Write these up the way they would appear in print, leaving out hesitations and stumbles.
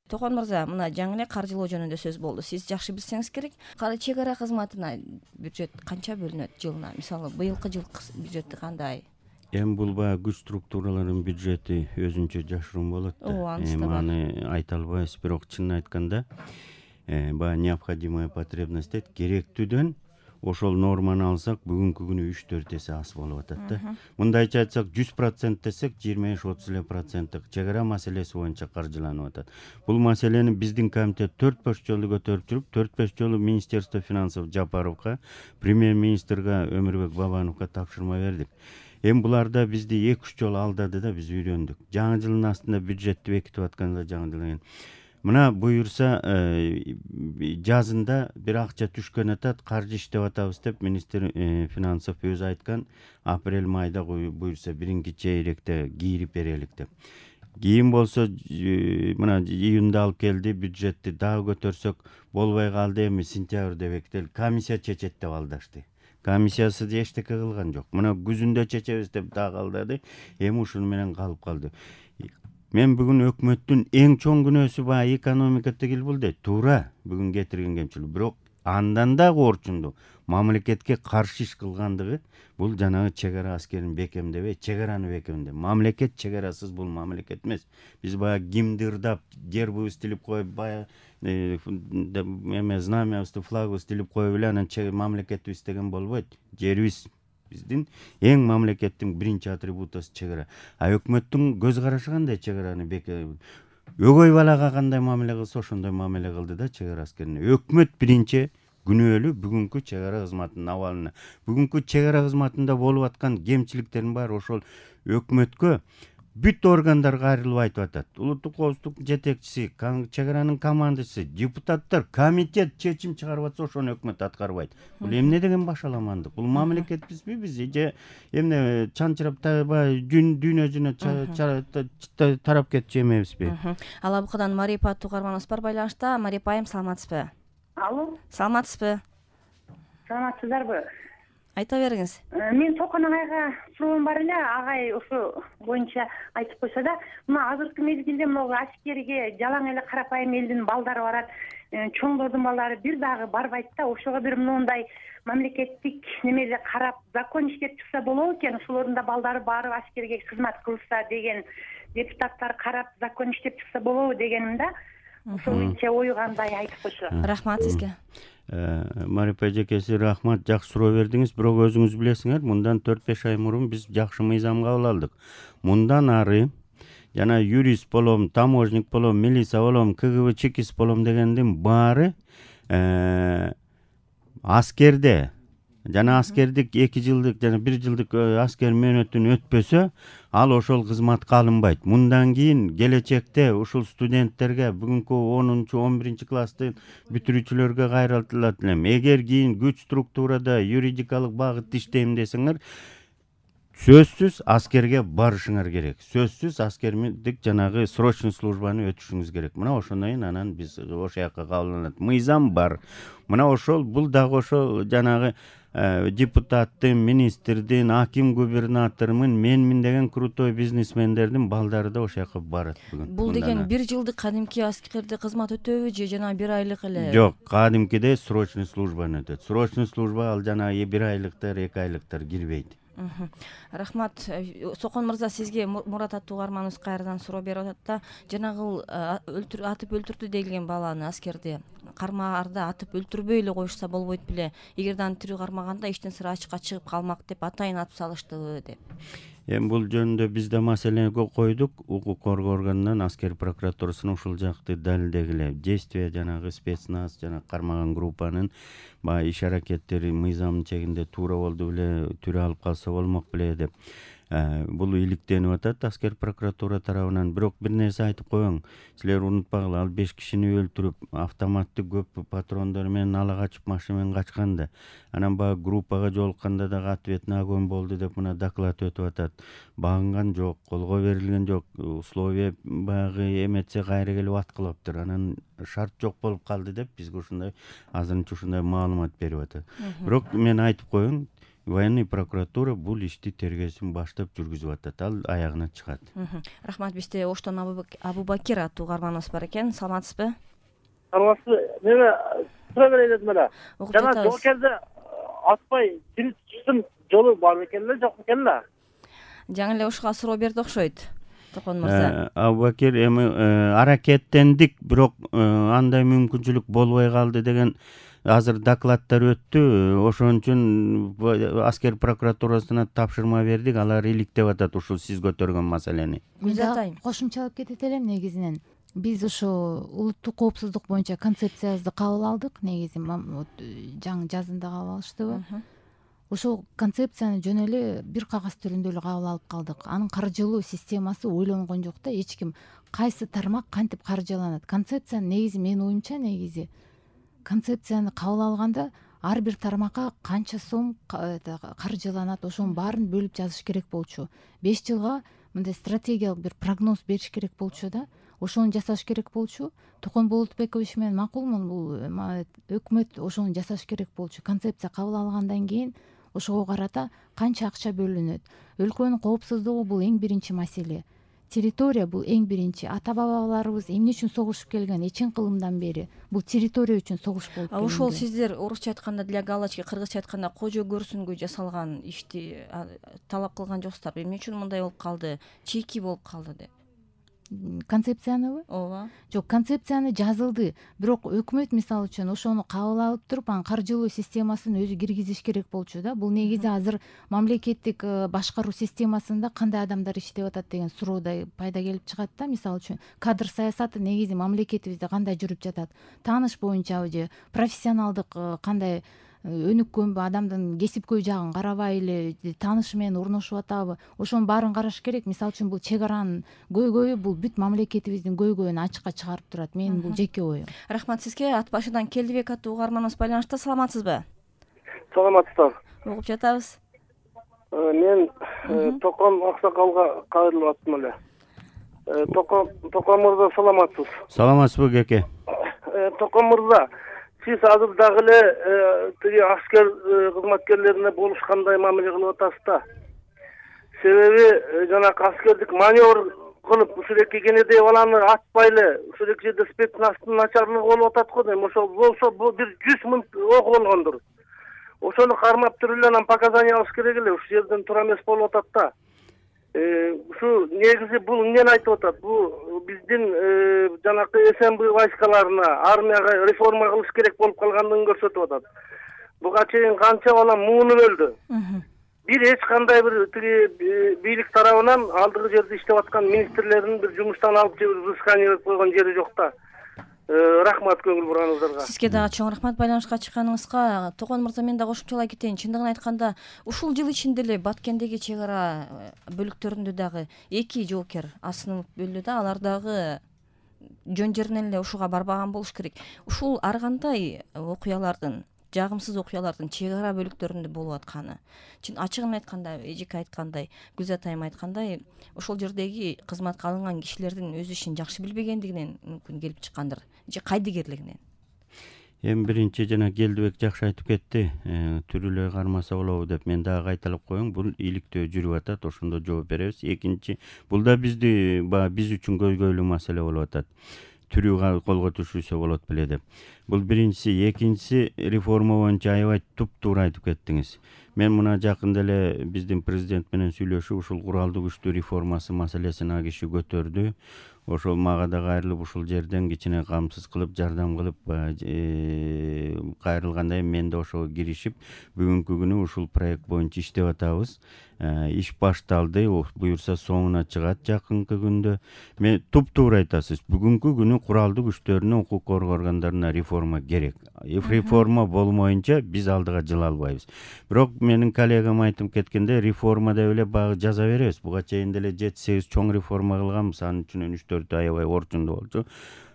Токон мырза, мына жаңы эле каржылоо жөнүндө сөз болду. Сиз жакшы билсеңиз керек. Чек ара кызматына бюджет канча бөлүнөт жылына? Мисалы, быйылкы жыл бюджети кандай? Эми бул баягы күч структураларынын бюджети өзүнчө жашыруун болот да. Анысы да бар. Аны айта албайбыз, бирок чынын айтканда баягы необходимая потребность дейт, керектүүдөн ошол норманы алсак бүгүнкү күнү 3-4 эсе аз болуп атат да. Мындайча айтсак 100% десек 25-30% чек ара маселеси боюнча каржыланып атат. Бул маселени биздин комитет 4-5 жолу көтөрүп жүрүп, 4-5 жолу Министерство финансов Жапаровго, премьер-министрге Өмүрбек Бабановго тапшырма бердик. Эми буларда бизди 2-3 жолу алдады да, биз үйрөндүк. Жаңы жылдын астында бюджетти бекитип атканда жаңы жылдан мына буюрса жазында бир акча түшкөн атат, каржы иштеп атабыз деп министр финансов өзү айткан, апрель майда буюрса биринки чейректе кийирип берелик деп. Кийин болсо мына июнда алып келди, бюджетти дагы көтөрсөк болбой калды, эми сентябрда бекители, комиссия чечет деп алдашты. Комиссиясы эчтеке кылган жок. Мына күзүндө чечебиз деп дагы алдады. Эми ушуну менен калып калды. Мен бүгүн өкмөттүн эң чоң күнөөсү баягы экономика тигил бул дейт. Туура, бүгүн кетирген кемчилик. Бирок андан да корчунду мамлекетке каршы иш кылгандыгы бул жанагы чек ара аскерин бекемдебей, чек араны бекемдеп. Мамлекет чек арасыз бул мамлекет эмес. Биз баягы гимнди ырдап, гербибизди тилип коюп, баягы знамябызды, флагыбызды тилип коюп эле анан мамлекетибиз деген болбойт. Жерибиз биздин эң мамлекеттин биринчи атрибутусу чек ара. А өкмөттүн көз карашы кандай чек араны өгөй балага кандай мамиле кылса ошондой мамиле кылды да чек ара аскерине. Өкмөт биринчи күнөөлүү бүгүнкү чек ара кызматынын абалына. Бүгүнкү чек ара кызматында болуп аткан кемчиликтердин баары ошол өкмөткө бүт органдарга кайрылып айтып атат. Улуттук коопсуздук жетекчиси, чек аранын командачысы, депутаттар, комитет чечим чыгарып атса ошону өкмөт аткарбайт. Бул эмне деген башаламандык? Бул мамлекетпизби биз же эмне чанчырап дүйнө жүзүнө тарап кетчү эмебизби? Ала букадан Марипа тугарманыбыз бар байланышта. Марипа айым, саламатсызбы? Алло. Саламатсызбы? Саламатсыздарбы? Айта бериңиз. Мен Токон агайга суроом бар эле, агай ошо боюнча айтып койсо да, мына азыркы мезгилде могу аскерге жалаң эле карапайым элдин балдары барат, чоңдордун балдары бир дагы барбайт да. Ошого бир моундай мамлекеттик немеде карап закон иштеп чыкса болобу экен, ошолордун да балдары барып аскерге кызмат кылса деген, депутаттар карап закон иштеп чыкса болобу дегеним да. Ошол боюнча ою кандай айтып койсо. Рахмат сизге. Марипа эжекеси, рахмат, жакшы суроо бердиңиз. Бирок өзүңүз билесиңер, мындан 4-5 ай мурун биз жакшы мыйзам кабыл алдык. Мындан ары жана юрист болом, таможник болом, милиция болом, КГБ чекист болом дегендин баары аскерде жана аскердик 2 жылдык жана 1 жылдык аскер мөөнөтүн өтпөсө, ал ошол кызматка алынбайт. Мындан кийин келечекте ушул студенттерге, бүгүнкү 10-11 класстын бүтүрүүчүлөргө кайрылтылат элем. Эгер кийин күч структурада юридикалык багытта иштейм десеңер, сөзсүз аскерге барышыңар керек. Сөзсүз аскердик жанагы срочный службаны өтүшүңүз керек. Мына ошондон кийин анан биз ошол жака кабылданат. Мыйзам бар. Мына ошол бул дагы ошол жанагы депутаттын, министрдин, аким, губернатордун, менмин деген крутой бизнесмендердин балдары да ошол жака барат бүгүн. Бул деген 1 жылдык кадимки аскерде кызмат өтөбү же жана 1 айлык эле? Жок, кадимкиде срочный службаны өтөт. Срочный служба ал жанагы 1 айлыктар, 2 айлыктар кирбейт. Рахмат. Сокон мырза, сизге Мурат тугарманыбыз кайрадан суроо берип атат да, жанагы атып өлтүрдү деген баланы, аскерди кармаарда атып өлтүрбөй эле коюшса болбойт беле? Эгерде аны тирүү кармаганда иштин сыры ачыкка чыгып калмак деп атайын атып салыштыбы деп. Эми бул жөнүндө биз да маселени койдук. Укук коргоо органынан аскер прокуратурасына ушул жакты далилдегиле. Действия жанагы спецназ жана кармаган группанын баягы иш аракеттери мыйзамдын чегинде туура болду беле, түрө алып калса болмок беле деп бул иликтенип атат аскер прокуратура тарабынан. Бирок бир нерсе айтып коеюн. Силер унутпагыла, ал 5 кишини өлтүрүп, автоматтык көп патрондор менен ала качып, машина менен качкан да. Анан баягы группага жолукканда дагы ответный огонь болду деп мына доклад өтүп атат. Багынган жок, колго берилген жок, условия баягы эметсе кайра келип аткылаптыр. Анан шарт жок болуп калды деп бизге ушундай азырынча ушундай маалымат берип атат. Бирок мен айтып коеюн, военный прокуратура бул ишти тергөөсүн баштап жүргүзүп атат, ал аягына чыгат. Рахмат. Бизде Оштон Абубакир аттуу угарманыбыз бар экен. Саламатсызбы? Саламатсызбы? Мен суроо берейин дедим эле. Жана Жатабыз. жоокерде атпай тирип чыктым жолу бар экен эле, жок экен да. Жаңы эле ушуга суроо берди окшойт, Токон мырза. Абубакир, эми аракеттендик, бирок андай мүмкүнчүлүк болбой калды деген азыр докладдар өттү. Ошон үчүн аскер прокуратурасына тапшырма бердик, алар иликтеп атат ушул сиз көтөргөн маселени. Гүлзат Кошумчалап кетет элем. Негизинен биз ушу улуттук коопсуздук боюнча концепциябызды кабыл алдык. Негизи жаңы жазында кабыл алыштыбы? Ошол концепцияны жөн эле бир кагаз түрүндө эле кабыл алып калдык. Анын каржылоо системасы ойлонгон жок да. Эч ким кайсы тармак кантип каржыланат. Концепциянын негизи менин оюмча концепцияны кабыл алганда ар бир тармакка канча сом каржыланат, ошонун баарын бөлүп жазыш керек болчу. 5 жылга мындай стратегиялык бир прогноз бериш керек болчу да. Ошону жасаш керек болчу. Токон Болотбекович менен макулмун, бул өкмөт ошону жасаш керек болчу. Концепция кабыл алгандан кийин ошого карата канча акча бөлүнөт. Өлкөнүн коопсуздугу бул эң биринчи маселе. Территория бул эң биринчи. Ата бабаларыбыз эмне үчүн согушуп келген, эчен кылымдан бери бул территория үчүн согуш болуп келген. Ошол сиздер орусча айтканда для галочки, кыргызча айтканда кожо көрсүнгө жасалган ишти талап кылган жоксуздарбы? Эмне үчүн мындай болуп калды, чийки болуп калды деп? Концепцияныбы? Ооба. Жок, концепцияны жазылды. Бирок өкмөт мисалы үчүн ошону кабыл алып туруп, анын каржылоо системасын өзү киргизиш керек болчу да. Бул негизи азыр мамлекеттик башкаруу системасында кандай адамдар иштеп атат деген суроо да пайда келип чыгат да. Мисалы үчүн кадр саясаты негизи мамлекетибизде кандай жүрүп жатат? Тааныш боюнчабы же профессионалдык кандай өнүккөнбү, адамдын кесипкөй жагын карабай эле таанышы менен орношуп атабы? Ошонун баарын караш керек. Мисалы үчүн бул чек аранын көйгөйү бул бүт мамлекетибиздин көйгөйүн ачыкка чыгарып турат. Менин бул жеке оюм. Рахмат сизге. Ат башыдан Келдибек аттуу угарманыбыз байланышта. Саламатсызбы? Саламатсыздар. Угуп жатабыз. Мен Токон Аксакалга кайрылып аттым эле. Токон мырза, саламатсыз? Саламатсызбы кеке? Токон мырза, сиз азыр дагы эле тиги аскер кызматкерлерине болушкандай мамиле кылып атасыз да. Себеби жанагы аскердик маневр кылып ушул эки кенедей баланы атпай эле ушул эки жерде спецназтын начарлыгы болуп атат го дейм. Ошол болсо бул бир 100 миң ок болгондур. Ошону кармап туруп эле анан показания алыш керек эле. Ушул жерден туура эмес болуп атат да. Ушу негизи бул эмнени айтып атат? Бул биздин жанакы СМБ войскаларына, армияга реформа кылыш керек болуп калгандыгын көрсөтүп атат. Буга чейин канча бала муунуп өлдү. Бир эч кандай бир тиги бийлик тарабынан алдыгы жерде иштеп аткан министрлердин бир жумуштан алып же взыскание берип койгон жери жок да. Рахмат көңүл бурганыңыздарга. Сизге дагы чоң рахмат байланышка чыкканыңызга. Токон мырза, мен дагы кошумчалай кетейин. Чындыгын айтканда, ушул жыл ичинде эле Баткендеги чек ара бөлүктөрүндө дагы 2 жоокер асынып өлдү да. Алар дагы жөн жеринен эле ушуга барбаган болуш керек. Ушул ар кандай окуялардын, жагымсыз окуялардын чек ара бөлүктөрүндө болуп атканы, ачыгын айтканда, эжеке айткандай, Гүлзат айым айткандай, ошол жердеги кызматка алынган кишилердин өз ишин жакшы билбегендигинен мүмкүн келип чыккандыр, же кайдыгерлигинен. Эми биринчи жана Келдибек жакшы айтып кетти. Түрүлөй кармаса болобу деп мен дагы кайталап коеюн. Бул иликтөө жүрүп атат, ошондо жооп беребиз. Экинчи, бул да биз үчүн көйгөйлүү маселе болуп атат. Түрү колго түшүрсө болот беле деп. Бул биринчиси. Экинчиси, реформа боюнча аябай туп-туура айтып кеттиңиз. Мен мына жакында эле биздин президент менен сүйлөшүп, ушул куралдуу күчтүү реформасы маселесин а киши көтөрдү. Ошол мага да кайрылып ушул жерден кичине камсыз кылып, жардам кылып кайрылгандай мен да ошого киришип, бүгүнкү күнү ушул проект боюнча иштеп атабыз. Иш башталды, буюрса соңуна чыгат жакынкы күндө. Мен туп-туура айтасыз. Бүгүнкү күнү куралдуу күчтөрүнө, укук коргоо органдарына реформа керек. Реформа болмоюнча биз алдыга жыла албайбыз. Бирок менин коллегам айтып кеткенде, реформа деп эле багы жаза беребиз. Буга чейин деле 7-8 чоң реформа кылганбыз, анын içinden 3-4 аябай орчундуу болчу.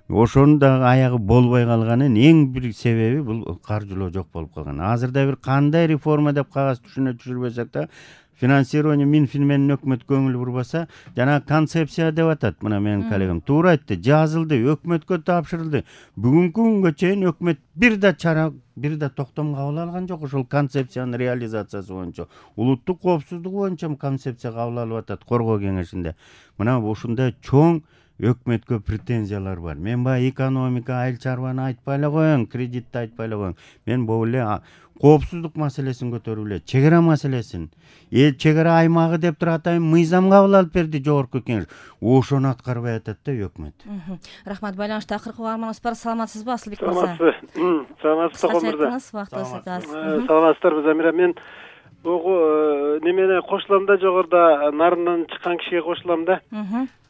Ошонун дагы аягы болбой калганын эң бир себеби бул каржылоо жок болуп калган. Азырда бир кандай реформа деп кагаз түшүнө түшүрбөсөк да, финансирование Минфин менен өкмөт көңүл бурбаса, жана концепция деп атат. Мына менин коллегам туура айтты. Жазылды, өкмөткө тапшырылды. Бүгүнкү күнгө чейин өкмөт бир да чара, бир да токтом кабыл алган жок ошол концепциянын реализациясы боюнча. Улуттук коопсуздук боюнча концепция кабыл алып атат коргоо кеңешинде. Мына ушундай чоң өкмөткө претензиялар бар. Мен баягы экономика, айыл чарбаны айтпай эле коеюн, кредитти айтпай эле коеюн. Мен бул эле коопсуздук маселесин көтөрүп эле, чек ара маселесин, чек ара аймагы деп туруп атайын мыйзам кабыл алып берди жогорку кеңеш. Ошону аткарбай атат да өкмөт. Рахмат. Байланышта акыркы угарманыбыз бар. Саламатсызбы, Асылбек мырза? Саламатсызбы, Сокон мырза. Саламатсыздарбы, Замира. Мен немене кошулам да, жогоруда нарындан чыккан кишиге кошулам да.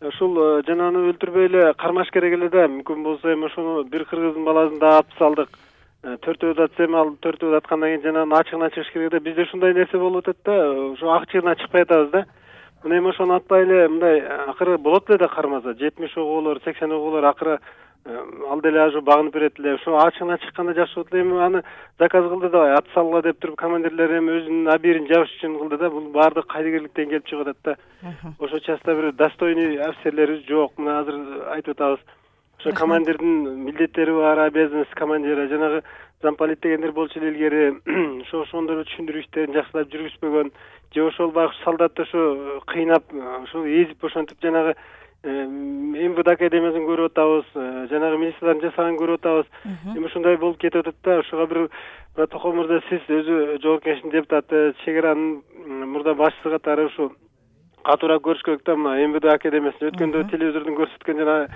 Ушул жананы өлтүрбөй эле кармаш керек эле да. Мүмкүн болсо эми ошону бир кыргыздын баласын да атып салдык. 4 атса эми ал 4 аткандан кийин жанагы ачыгына чыгыш керек да. Бизде ушундай нерсе болуп атат да. Ошо ачыгына чыкпай атабыз да. Мына эми ошону атпай эле мындай акыры болот эле да кармаса. 70 огоолор, 80 огоолор акыры ал деле ошо багынып берет эле. Ошо ачыгына чыкканда жакшы болот эле. Эми аны заказ кылды да, ат салгыла деп туруп командирлер эми өзүнүн абийирин жабыш үчүн кылды да. Бул баардык кайдыгерликтен келип чыгып атат да. Ошо частта бир достойный офицерлерибиз жок. Мына азыр айтып атабыз. Ошо командирдин милдеттери бар, обязанности командира, жанагы замполит дегендер болчу эле илгери. Ошондор түшүндүрүү иштерин жакшылап жүргүзбөгөн, же ошол баягы солдатты ошо кыйнап, ошо эзип ошентип жанагы МВД академиясын көрүп атабыз, жанагы министрлердин жасаганын көрүп атабыз. Эми ушундай болуп кетип атат да. Ошого бир Токон мырза, сиз өзү жогорку кеңештин депутаты, чек аранын мурда башчысы катары ушу катуураак көрүш керек да. Мына МВД академиясын өткөндө телевизордон көрсөткөн жана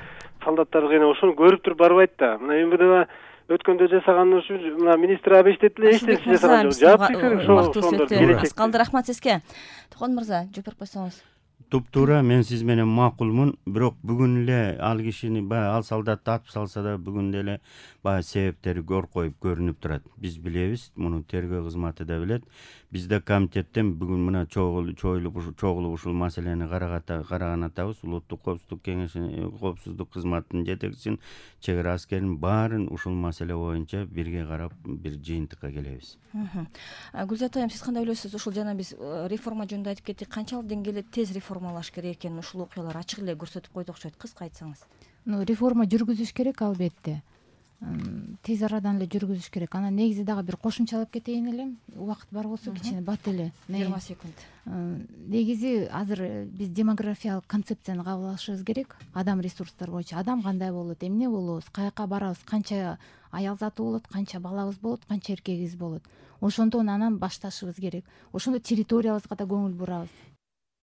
солдаттарды кыйнап ошону көрүп туруп барбайт да. Мына МВД өткөндө жасаган ушу мына министр абештет эле, эч нерсе жасаган жок. Жаап беришет. Калды, рахмат сизге. Токон мырза, жооп берип койсоңуз. Туптуура, мен сиз менен макулмун, бирок бүгүн эле ал кишини баягы ал солдатты атып салса да бүгүн деле баягы себептери коркоюп көрүнүп турат. Биз билебиз, муну тергөө кызматы да билет. Бизде комитеттен бүгүн мына чогулуп ушул маселени караган атабыз. Улуттук коопсуздук кеңеши, коопсуздук кызматынын жетекчисин, чек ара аскерин баарын ушул маселе боюнча бирге карап бир жыйынтыкка келебиз. Гүлзат айым, сиз кандай ойлойсуз? Ушул жана биз реформа жөнүндө айтып кеттик. Канчалык деңгээлде тез реформалаш керек экенин ушул окуялар ачык эле көрсөтүп койду окшойт. Кыска айтсаңыз. Реформа жүргүзүш керек албетте. Тез арадан эле жүргүзүш керек. Анан негизи дагы бир кошумчалап кетейин элем. Убакыт бар болсо кичине бат эле. 20 секунд. Негизи азыр биз демографиялык концепцияны кабыл алышыбыз керек. Адам ресурстары боюнча адам кандай болот, эмне болобуз, каяка барабыз, канча аял заты болот, канча балабыз болот, канча эркегибиз болот. Ошондон анан башташыбыз керек. Ошондо территориябызга да көңүл бурабыз.